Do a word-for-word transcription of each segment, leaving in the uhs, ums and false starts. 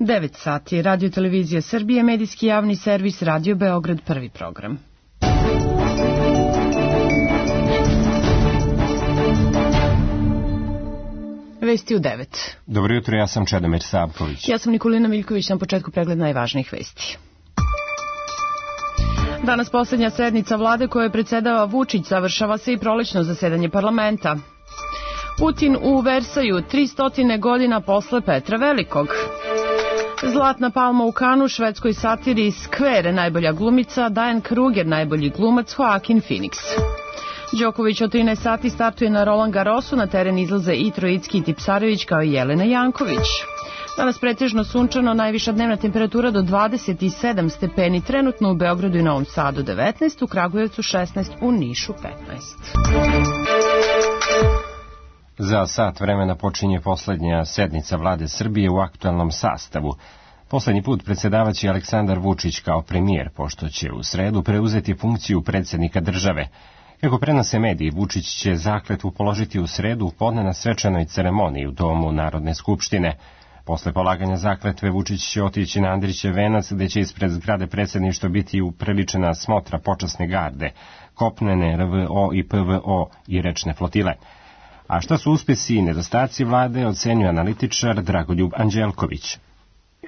devet sati, Radio Televizija Srbije, medijski javni servis, Radio Beograd, prvi program. Vesti u devet. Dobro jutro, ja sam Čedomir Savković. Ja sam Nikolina Miljković, na početku pregled najvažnijih vesti. Danas poslednja sednica vlade kojoj predsedava Vučić, završava se i prolećno zasedanje parlamenta. Putin u Versaju, tristo godina posle Petra Velikog. Zlatna palma u Kanu, švedskoj satiri Skver, najbolja glumica, Diane Kruger, najbolji glumac, Joaquin Phoenix. Đoković od trinaest sati startuje na Roland Garrosu, na teren izlaze i Trojicki i Tipsarević kao i Jelena Janković. Danas pretežno sunčano, najviša dnevna temperatura do dvadeset sedam stepeni, trenutno u Beogradu i Novom Sadu devetnaest, u Kragujevcu šesnaest, u Nišu petnaest. Za sat vremena počinje poslednja sednica vlade Srbije u aktualnom sastavu. Poslednji put predsedavaće Aleksandar Vučić kao premijer, pošto će u sredu preuzeti funkciju predsednika države. Kako prenose mediji, Vučić će zakletvu položiti u sredu u podne na svečanoj ceremoniji u Domu Narodne skupštine. Posle polaganja zakletve Vučić će otići na Andrićev venac, gde će ispred zgrade predsjedništva biti upriličena smotra počasne garde, kopnene R V O i P V O i rečne flotile. A šta su uspesi i nedostaci vlade, ocenjuje analitičar Dragoljub Anđelković.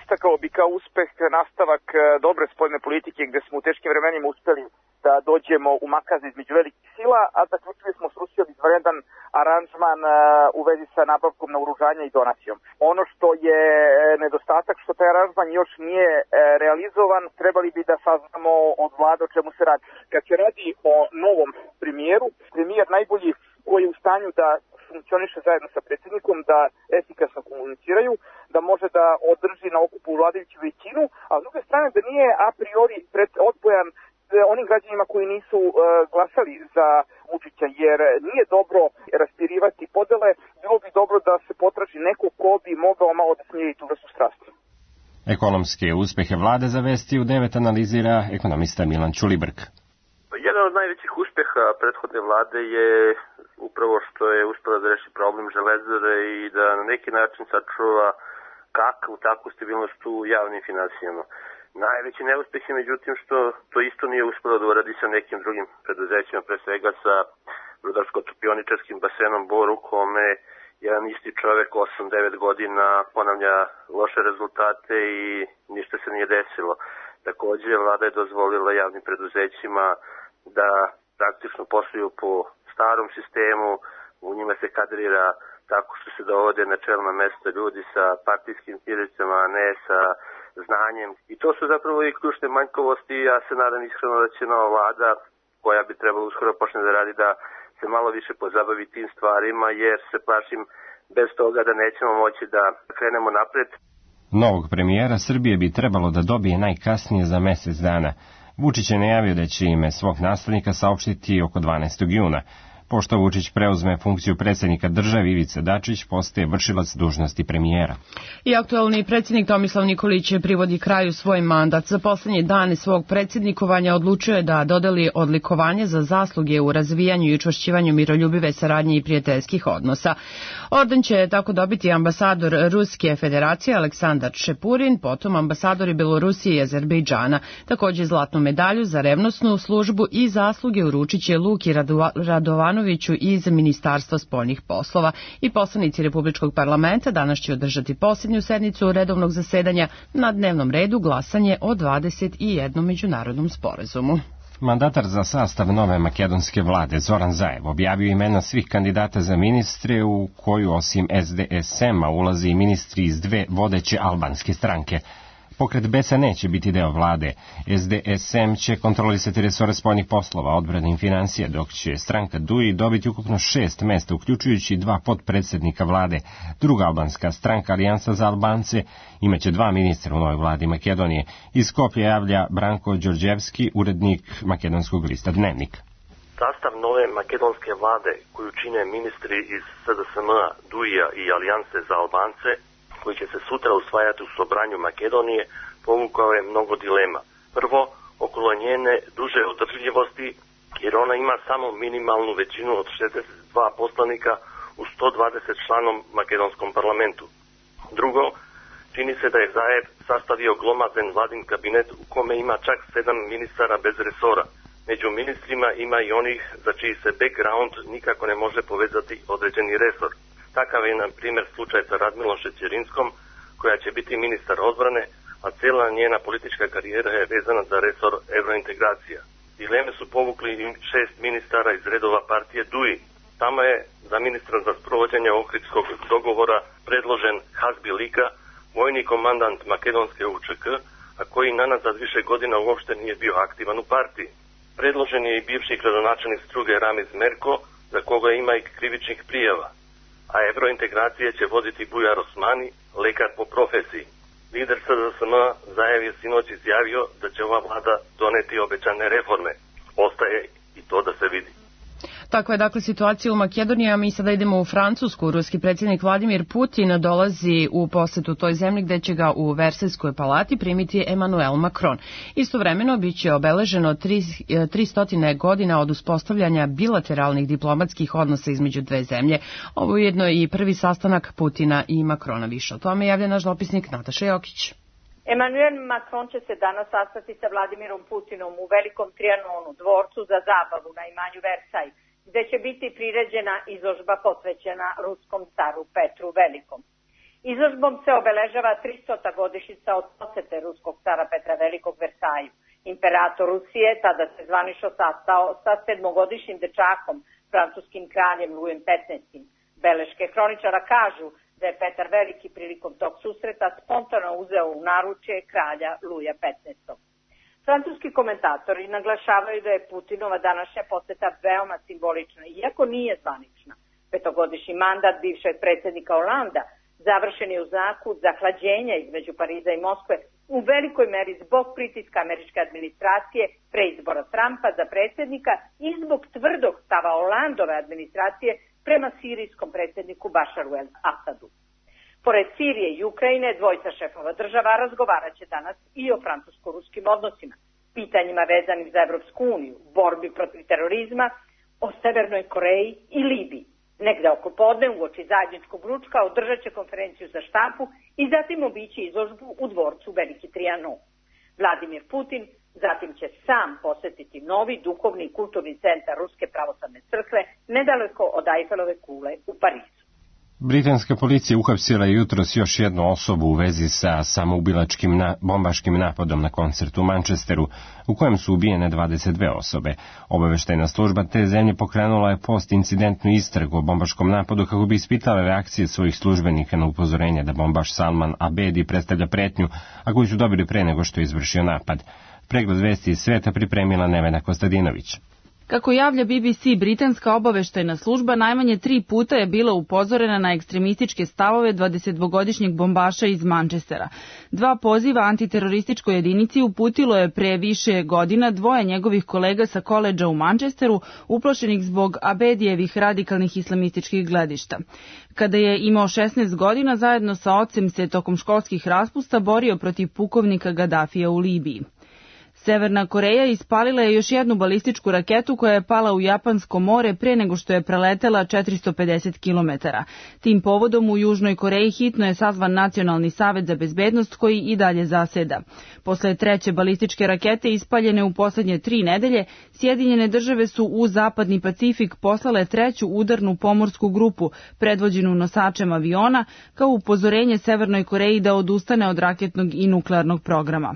Istakao bi kao uspeh nastavak dobre spoljne politike, gde smo u teškim vremenima uspeli da dođemo u makaz između velikih sila, a zaključili smo s Rusijom izvanredan aranžman u vezi sa nabavkom naoružanja i donacijom. Ono što je nedostatak, što taj aranžman još nije realizovan, trebali bi da saznamo od vlade o čemu se radi. Kad se radi o novom premijeru, premijer najbolji koji je u stanju da funkcioniše zajedno sa predsjednikom, da efikasno komuniciraju, da može da održi na okupu vladajuću većinu, a s druge strane da nije a priori pred odbojan onim građanima koji nisu uh, glasali za Vučića, jer nije dobro raspirivati podele, bilo bi dobro da se potraži neko ko bi mogao malo da smiri tu vrstu strasti. Ekonomske uspehe vlade za Vesti u devet analizira ekonomista Milan Ćulibrk. Jedan od najvećih uspeha prethodne vlade je upravo što je uspela da reši problem Železare i da na neki način sačuva kakvu takvu stabilnost u javnim finansijama. Najveći neuspeh je međutim što to isto nije uspelo da uradi sa nekim drugim preduzećima, pre svega sa rudarsko-topioničarskim basenom Bor, u kome jedan isti čovek osam devet godina ponavlja loše rezultate i ništa se nije desilo. Takođe, vlada je dozvolila javnim preduzećima da praktično posluju po starom sistemu, u njima se kadrira tako što se dovode na čelna mesta ljudi sa partijskim knjižicama, a ne sa znanjem. I to su zapravo i ključne manjkavosti. Ja se nadam iskreno da će nova vlada, koja bi trebalo uskoro počne da radi, da se malo više pozabavi tim stvarima, jer se plašim bez toga da nećemo moći da krenemo napred. Novog premijera Srbije bi trebalo da dobije najkasnije za mesec dana. Vučić je najavio da će ime svog naslednika saopštiti oko dvanaestog juna. Pošto Vučić preuzme funkciju predsjednika države, Ivica Dačić postaje vršilac dužnosti premijera. I aktualni predsjednik Tomislav Nikolić privodi kraju svoj mandat. Za poslednje dane svog predsjednikovanja odlučio je da dodeli odlikovanje za zasluge u razvijanju i učvršćivanju miroljubive saradnje i prijateljskih odnosa. Orden će tako dobiti ambasador Ruske federacije Aleksandar Šepurin, potom ambasadori Belorusije i Azerbejdžana. Također zlatnu medalju za revnosnu službu i zasluge uručit će Luki Radovanoviću iz Ministarstva spoljnih poslova. I poslanici Republičkog parlamenta danas će održati posljednju sednicu redovnog zasedanja, na dnevnom redu glasanje o dvadeset jednom međunarodnom sporazumu. Mandatar za sastav nove makedonske vlade Zoran Zaev objavio imena svih kandidata za ministre, u koju osim S D S M-a ulaze i ministri iz dve vodeće albanske stranke. Pokret B S A neće biti deo vlade. S D S M će kontrolisati resore spoljnih poslova, odbrane i financije, dok će stranka D U I dobiti ukupno šest mesta, uključujući dva potpredsjednika vlade. Druga albanska stranka, Alijansa za Albance, imaće dva ministra u novoj vladi Makedonije. Iz Skoplja javlja Branko Đorđevski, urednik makedonskog lista Dnevnik. Sastav nove makedonske vlade, koju čine ministri iz S D S M-a, D U I-a i Alijanse za Albance, koji će se sutra usvajati u Sobranju Makedonije, povukao je mnogo dilema. Prvo, okolo njene duže održljivosti, jer ona ima samo minimalnu većinu od šezdeset dva poslanika u sto dvadeset članom makedonskom parlamentu. Drugo, Čini se da je Zaev sastavio glomazan vladin kabinet u kome ima čak sedam ministara bez resora. Među ministrima ima i onih za čiji se background nikako ne može povezati određeni resor. Takav je, na primjer, slučaj sa Radmilom Šećerinskom, koja će biti ministar odbrane, a cijela njena politička karijera je vezana za resor evrointegracija. Dileme su povukli i šest ministara iz redova partije D U I. Tamo je za ministra za sprovođenje Ohridskog dogovora predložen Hasbi Lika, vojni komandant makedonske U Č K, a koji nanazad više godina uopšte nije bio aktivan u partiji. Predložen je i bivši gradonačelnik Struge Ramiz Merko, za koga ima i krivičnih prijava, a evrointegracije će voditi Bujar Osmani, lekar po profesiji. Lider S D S M Zaev je sinoć izjavio da će ova vlada doneti obećane reforme. Ostaje i to da se vidi. Takva je dakle situacija u Makedoniji, a mi sada idemo u Francusku. Ruski predsjednik Vladimir Putin dolazi u posetu toj zemlji gde će ga u Versajskoj palati primiti Emmanuel Macron. Istovremeno biće obeleženo tristo godina od uspostavljanja bilateralnih diplomatskih odnosa između dve zemlje. Ovo je jedno i prvi sastanak Putina i Macrona. Više o tome javlja naš dopisnik Nataša Jokić. Emmanuel Macron će se danas sastati sa Vladimirom Putinom u Velikom Trianonu, dvorcu za zabavu na imanju Versaj, gde će biti priređena izložba posvećena ruskom caru Petru Velikom. Izložbom se obeležava tristota godišnjica od posete ruskog cara Petra Velikog Versaju. Imperator Rusije tada se zvanično sastao sa sedmogodišnjim dečakom, francuskim kraljem Lujem petnaestim. Beleške hroničara kažu da je Petar Veliki prilikom tog susreta spontano uzeo u naručje kralja Luja petnaestog. Francuski komentatori naglašavaju da je Putinova današnja poseta veoma simbolična, iako nije zvanična. Petogodišnji mandat bivšeg predsjednika Holanda završen je u znaku zahlađenja između Pariza i Moskve, u velikoj meri zbog pritiska američke administracije pre izbora Trumpa za predsjednika i zbog tvrdog stava Holandove administracije prema sirijskom predsjedniku Bašaru el-Asadu. Pored Sirije i Ukrajine, dvojica šefova država razgovarat će danas i o francusko-ruskim odnosima, pitanjima vezanim za Evropsku uniju, borbi protiv terorizma, o Severnoj Koreji i Libiji. Negde oko podne uoči zajedničkog ručka održat će konferenciju za štampu i zatim obići izložbu u dvorcu Veliki Trianon. Vladimir Putin zatim će sam posetiti novi duhovni i kulturni centar Ruske pravoslavne crkve nedaleko od Eifelove kule u Parizu. Britanska policija uhapsila je jutros još jednu osobu u vezi sa samoubilačkim na, bombaškim napadom na koncertu u Manchesteru, u kojem su ubijene dvadeset dve osobe. Obaveštajna služba te zemlje pokrenula je post-incidentnu istragu o bombaškom napadu kako bi ispitala reakcije svojih službenika na upozorenje da bombaš Salman Abedi predstavlja pretnju, a koju su dobili pre nego što je izvršio napad. Pregled vesti iz sveta pripremila Nevena Kostadinović. Kako javlja B B C, britanska obaveštajna služba najmanje tri puta je bila upozorena na ekstremističke stavove dvadesetdvogodišnjeg bombaša iz Manchestera. Dva poziva antiterorističkoj jedinici uputilo je pre više godina dvoje njegovih kolega sa koledža u Manchesteru, uplašenih zbog Abedijevih radikalnih islamističkih gledišta. Kada je imao šesnaest godina, zajedno sa ocem se tokom školskih raspusta borio protiv pukovnika Gadafija u Libiji. Severna Koreja ispalila je još jednu balističku raketu koja je pala u Japansko more pre nego što je preletela četiristo pedeset kilometara. Tim povodom u Južnoj Koreji hitno je sazvan Nacionalni savet za bezbednost koji i dalje zaseda. Posle treće balističke rakete ispaljene u poslednje tri nedelje, Sjedinjene države su u Zapadni Pacifik poslale treću udarnu pomorsku grupu, predvođenu nosačem aviona, kao upozorenje Severnoj Koreji da odustane od raketnog i nuklearnog programa.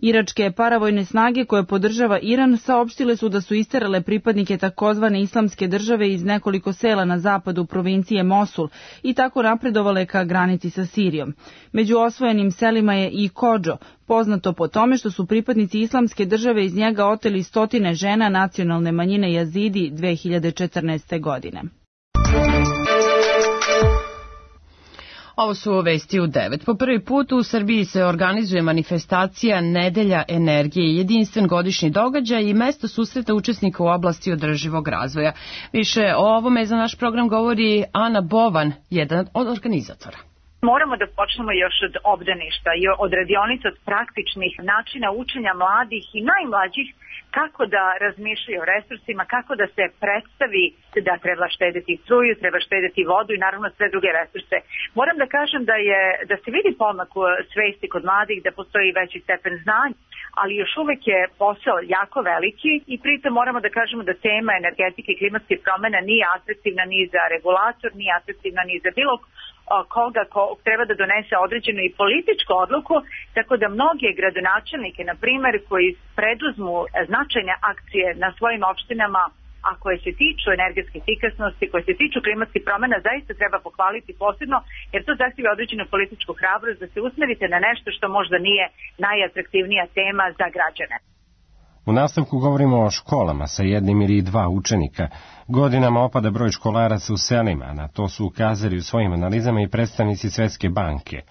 Iračke paravojne snage koje podržava Iran saopštile su da su isterale pripadnike takozvane islamske države iz nekoliko sela na zapadu provincije Mosul i tako napredovale ka granici sa Sirijom. Među osvojenim selima je i Kodžo, poznato po tome što su pripadnici islamske države iz njega oteli stotine žena nacionalne manjine Jazidi dve hiljade četrnaeste. godine. Ovo su vesti u devet. Po prvi put u Srbiji se organizuje manifestacija Nedelja energije, jedinstven godišnji događaj i mesto susreta učesnika u oblasti održivog razvoja. Više o ovome za naš program govori Ana Bovan, jedan od organizatora. Moramo da počnemo još od obdaništa i od radionica, od praktičnih načina učenja mladih i najmlađih kako da razmišljaju o resursima, kako da se predstavi da treba štediti struju, treba štediti vodu i naravno sve druge resurse. Moram da kažem da je da se vidi pomak u svesti kod mladih, da postoji veći stepen znanja, ali još uvek je posao jako veliki i pritom moramo da kažemo da tema energetike i klimatskih promena nije atraktivna ni za regulator, nije atraktivna ni za bilo koga ko treba da donese određenu i političku odluku, tako da mnoge gradonačelnike, na primer, koji preduzmu značajne akcije na svojim opštinama, a koje se tiču energetske efikasnosti, koje se tiču klimatskih promena, zaista treba pohvaliti posebno, jer to zahtijeva određenu političku hrabrost da se usmerite na nešto što možda nije najatraktivnija tema za građane. U nastavku govorimo o školama sa jednim ili dva učenika. Godinama opada broj školaraca u selima, na to su ukazali u svojim analizama i predstavnici Svetske banke.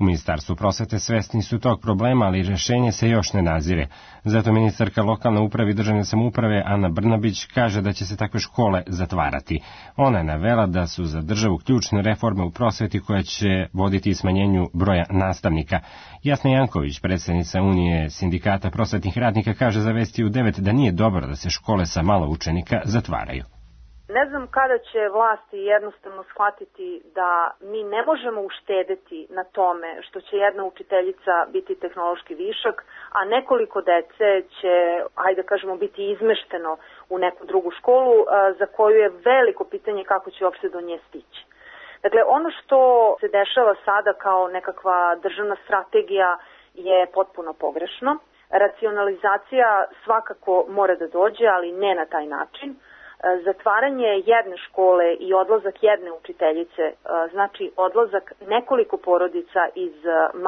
U Ministarstvu prosvete svesni su tog problema, ali rešenje se još ne nazire. Zato ministarka lokalne uprave i državne samouprave Ana Brnabić kaže da će se takve škole zatvarati. Ona je navela da su za državu ključne reforme u prosveti koja će voditi smanjenju broja nastavnika. Jasna Janković, predsednica Unije sindikata prosvetnih radnika, kaže za Vesti u devet da nije dobro da se škole sa malo učenika zatvaraju. Ne znam kada će vlasti jednostavno shvatiti da mi ne možemo uštedeti na tome što će jedna učiteljica biti tehnološki višak, a nekoliko dece će, hajde da kažemo, biti izmešteno u neku drugu školu za koju je veliko pitanje kako će uopšte do nje stići. Dakle, ono što se dešava sada kao nekakva državna strategija je potpuno pogrešno. Racionalizacija svakako mora da dođe, ali ne na taj način. Zatvaranje jedne škole i odlazak jedne učiteljice znači odlazak nekoliko porodica iz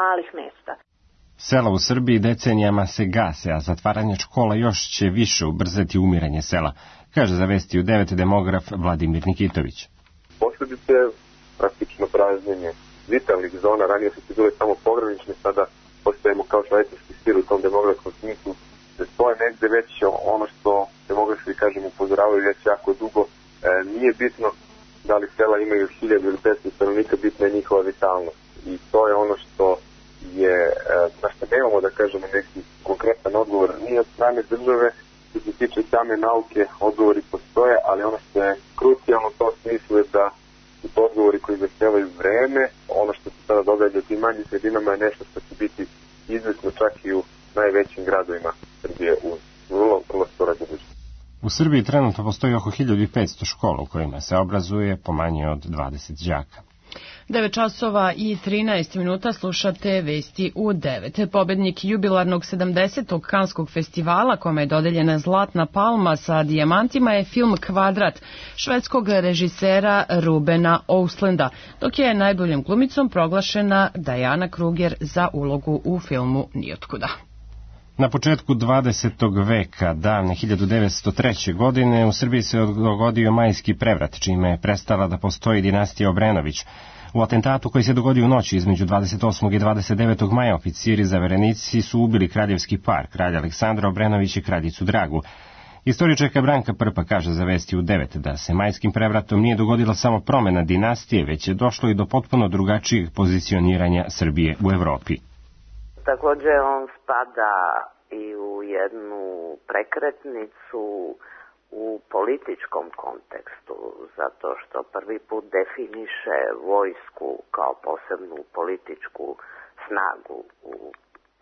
malih mesta. Sela u Srbiji decenijama se gase, a zatvaranje škola još će više ubrzati umiranje sela, kaže za Vesti u devet demograf Vladimir Nikitović. Posledice praktično pražnjenje vitalnih zona, ranije su se bile samo pogranične, sada postajemo kao švajcarski sir u tom demografskom smislu. To je negde već ono što demografi, kažem, upozoravaju već jako dugo. E, nije bitno da li sela imaju hiljadu ili petsto stanovnika, bitna je njihova vitalnost. I to je ono što je, e, na što nemamo da kažemo neki konkretan odgovor. Nije od strane države, što se tiče same nauke, odgovori postoje, ali ono što je krucijalno u tom smislu je da su to odgovori koji zahtevaju vreme. Ono što se sada događa u tim manjim sredinama je nešto što će biti izvesno čak i u najvećim gradovima Srbije u vrlo, vrlo skoro budućnosti. U Srbiji trenutno postoji oko hiljadu petsto škola u kojima se obrazuje po manje od dvadeset đaka. devet časova i trinaest minuta slušate Vesti u devet. Pobednik jubilarnog sedamdesetog Kanskog festivala, kome je dodeljena Zlatna palma sa dijamantima, je film Kvadrat švedskog režisera Rubena Östlunda, dok je najboljom glumicom proglašena Diana Kruger za ulogu u filmu Nijotkuda. Na početku dvadesetog veka, davne hiljadu devetsto treće. godine, u Srbiji se dogodio majski prevrat, čime je prestala da postoji dinastija Obrenović. U atentatu koji se dogodio u noći između dvadeset osmog i dvadeset devetog maja oficiri zaverenici su ubili kraljevski par, kralj Aleksandra Obrenović i kraljicu Dragu. Istoričarka Branka Prpa kaže za Vesti u devet da se majskim prevratom nije dogodila samo promena dinastije, već je došlo i do potpuno drugačijeg pozicioniranja Srbije u Evropi. Također on spada i u jednu prekretnicu u političkom kontekstu, zato što prvi put definiše vojsku kao posebnu političku snagu u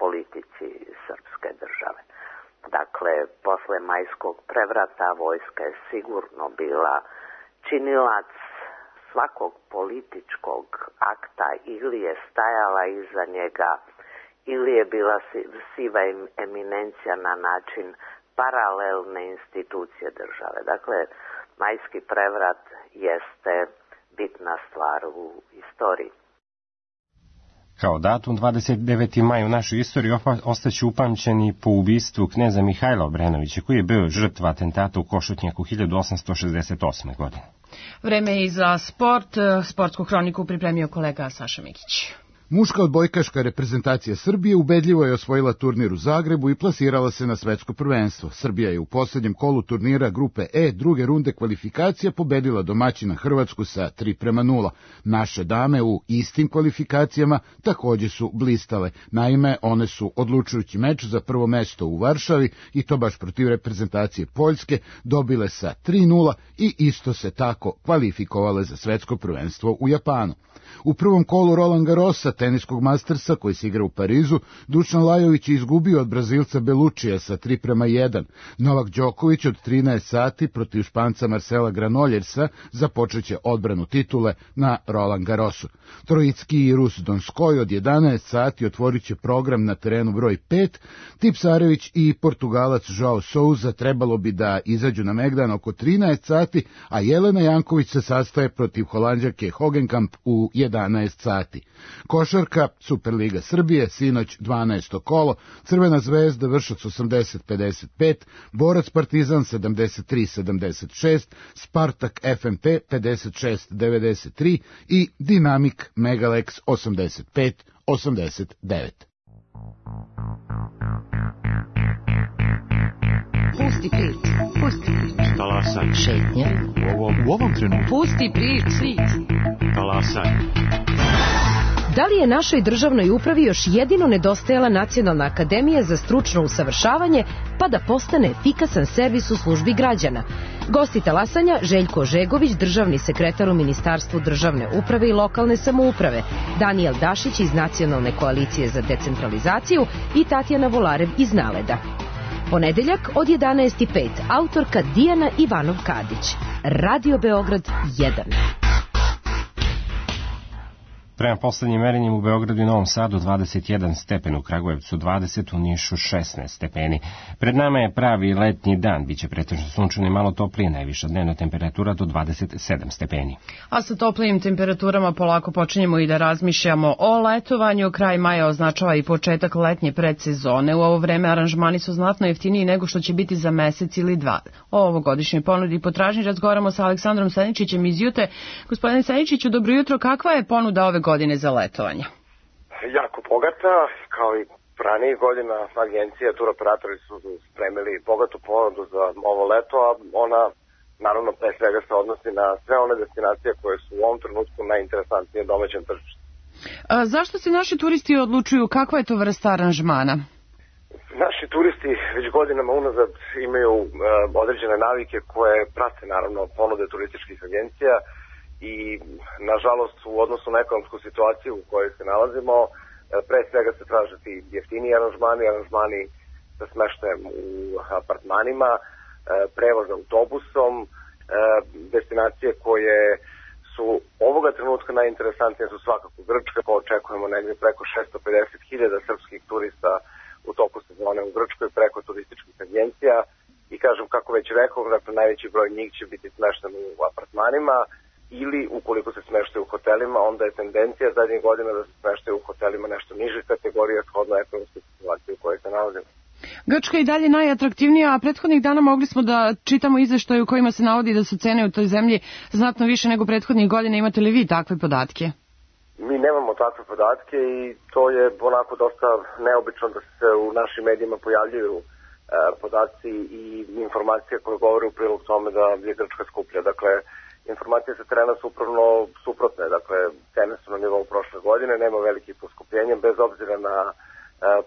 politici srpske države. Dakle, posle majskog prevrata vojska je sigurno bila činilac svakog političkog akta, ili je stajala iza njega, ili je bila siva eminencija na način paralelne institucije države. Dakle, majski prevrat jeste bitna stvar u istoriji. Kao datum dvadeset deveti maj u našoj istoriji ostaće upamćeni po ubistvu kneza Mihajla Obrenovića, koji je bio žrtva atentata u Košutnjaku hiljadu osamsto šezdeset osme. godine. Vreme je i za sport. Sportsku hroniku pripremio kolega Saša Mikić. Muška odbojkaška reprezentacija Srbije ubedljivo je osvojila turnir u Zagrebu i plasirala se na svetsko prvenstvo. Srbija je u posljednjem kolu turnira grupe E druge runde kvalifikacija pobedila domaćina Hrvatsku sa tri prema nula. Naše dame u istim kvalifikacijama također su blistale. Naime, one su odlučujući meč za prvo mesto u Varšavi, i to baš protiv reprezentacije Poljske, dobile sa tri nula i isto se tako kvalifikovale za svetsko prvenstvo u Japanu. U prvom kolu Roland Garrosa, teniskog mastersa koji se igra u Parizu, Dušan Lajović je izgubio od Brazilca Belučija sa tri prema jedan. Novak Đoković od trinaest sati protiv Španca Marcela Granoljersa započeće odbranu titule na Roland Garrosu. Trojicki i Rus Donskoj od jedanaest sati otvorit će program na terenu broj pet. Tipsarević i Portugalac Joao Souza trebalo bi da izađu na megdan oko trinaest sati, a Jelena Janković se sastaje protiv Holanđanke Hogenkamp u jedanaest sati. Košarka, Superliga Srbije, sinoć dvanaesto kolo, Crvena zvezda Vršac osamdeset pedeset pet, Borac Partizan sedamdeset tri sedamdeset šest, Spartak F M P pedeset šest devedeset tri i Dinamik Megalex osamdeset pet osamdeset devet. Pusti priču, pusti priču. Talasaj. Šetnja. U ovom, u ovom trenutku. Pusti priču. Talasaj. Da li je našoj državnoj upravi još jedino nedostajala Nacionalna akademija za stručno usavršavanje, pa da postane efikasan servis u službi građana? Gosti talasanja Željko Ožegović, državni sekretar u Ministarstvu državne uprave i lokalne samouprave, Danijel Dašić iz Nacionalne koalicije za decentralizaciju i Tatjana Volarev iz Naleda. Ponedeljak od jedanaest i pet, autorka Dijana Ivanov-Kadić. Radio Beograd jedan. Prema poslednjim merenjem u Beogradu i Novom Sadu dvadeset jedan stepen, u Kragujevcu dvadeset, u Nišu šesnaest stepeni. Pred nama je pravi letnji dan, biće pretežno sunčano i malo toplije, najviša dnevna temperatura do dvadeset sedam stepeni. A sa toplijim temperaturama polako počinjemo i da razmišljamo o letovanju. Kraj maja označava i početak letnje predsezone. U ovo vreme aranžmani su znatno jeftiniji nego što će biti za mesec ili dva. O ovogodišnjoj ponudi i potražnji razgovaramo sa Aleksandrom Seničićem iz Jute. Gospodine Seničiću, dobro jutro, kakva je ponuda ove godine za letovanje? Jako bogata, kao i ranijih godina. Agencija, turoperatori su spremili bogatu ponudu za ovo leto, a ona naravno pre svega se odnosi na sve one destinacije koje su u ovom trenutku najinteresantnije domaćem tržištu. A zašto se naši turisti odlučuju, kakva je to vrsta aranžmana? Naši turisti već godinama unazad imaju uh, određene navike koje prate naravno ponude turističkih agencija i nažalost u odnosu na ekonomsku situaciju u kojoj se nalazimo, pre svega se traže ti jeftiniji aranžmani, aranžmani sa smeštajem u apartmanima, prevoz autobusom, destinacije koje su ovoga trenutka najinteresantnije su svakako Grčka, pa očekujemo negdje preko šesto pedeset hiljada srpskih turista u toku sezone u Grčkoj preko turističkih agencija i kažem kako već rekao, dakle najveći broj njih će biti smešten u apartmanima, ili ukoliko se smeštaju u hotelima, onda je tendencija zadnjih godina da se smeštaju u hotelima nešto niže kategorije shodno ekonomske situacije u kojoj se nalazimo. Grčka je dalje najatraktivnija, a prethodnih dana mogli smo da čitamo izveštaje u kojima se navodi da su cene u toj zemlji znatno više nego prethodnih godina. Imate li vi takve podatke? Mi nemamo takve podatke i to je onako dosta neobično da se u našim medijima pojavljuju e, podaci i informacije koje govore u prilog tome da je Grčka skuplja. Dakle, informacije sa terena su upravno suprotne, dakle cene su na nivou prošle godine, nema velikih poskupljenja bez obzira na e,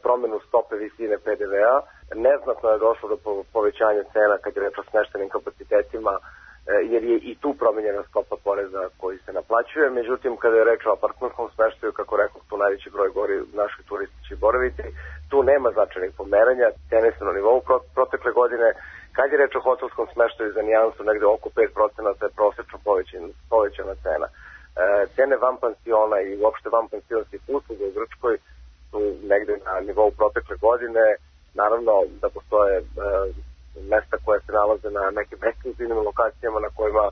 promjenu stope visine P D V-a. Neznatno je došlo do povećanja cena kad je reč o smeštenim kapacitetima, e, jer je i tu promenjena stopa poreza koji se naplaćuje. Međutim, kada je reč o apartmanskom smeštaju, kako rekao, tu najveći broj gori naših turističkih boravici, tu nema značajnih pomeranja, cene su na nivou protekle godine. Kad je reč o hotelskom smeštaju za nijansu, negde oko pet procenata je prosečno povećana, povećana cena. E, cene van pansiona i uopšte van pansionskih usluga u Grčkoj su negde na nivou protekle godine. Naravno da postoje e, mesta koje se nalaze na nekim ekskluzivnim lokacijama na kojima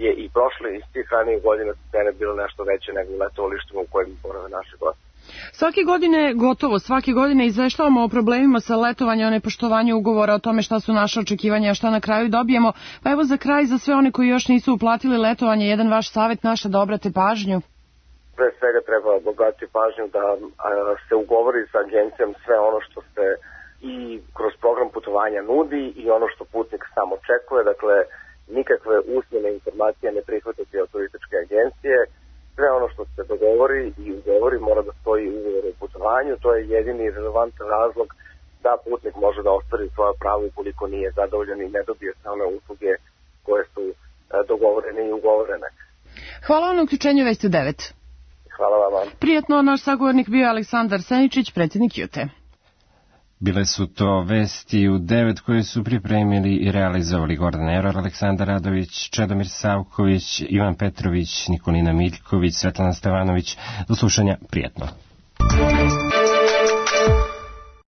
je i prošle iz tih ranijih godina cene bile nešto veće nego u letovalištima u kojim borave naše goste. Svake godine, gotovo svake godine izveštavamo o problemima sa letovanjem, o nepoštovanju ugovora, o tome šta su naše očekivanja, a šta na kraju dobijemo. Pa evo za kraj, za sve one koji još nisu uplatili letovanje, jedan vaš savjet naša da obrate pažnju. pre svega treba obratiti pažnju da a, se ugovori sa agencijom sve ono što se i kroz program putovanja nudi i ono što putnik sam očekuje, dakle nikakve usmene informacije ne prihvatiti od turističke agencije, sve ono što se dogovori i ugovori mora da stoji u ugovoru o putovanju, to je jedini relevantan razlog da putnik može da ostvari svoje pravo ukoliko nije zadovoljan i ne dobije sve one usluge koje su e, dogovorene i ugovorene. Hvala vam na uključenju Vesti u devet. Hvala vam. Prijetno, naš sagovornik bio Aleksandar Seničić, predsjednik Jute. Bile su to Vesti u devet koje su pripremili i realizovali Gordan Eror, Aleksandar Radović, Čedomir Savković, Ivan Petrović, Nikolina Miljković, Svetlana Stevanović. Do slušanja, prijetno.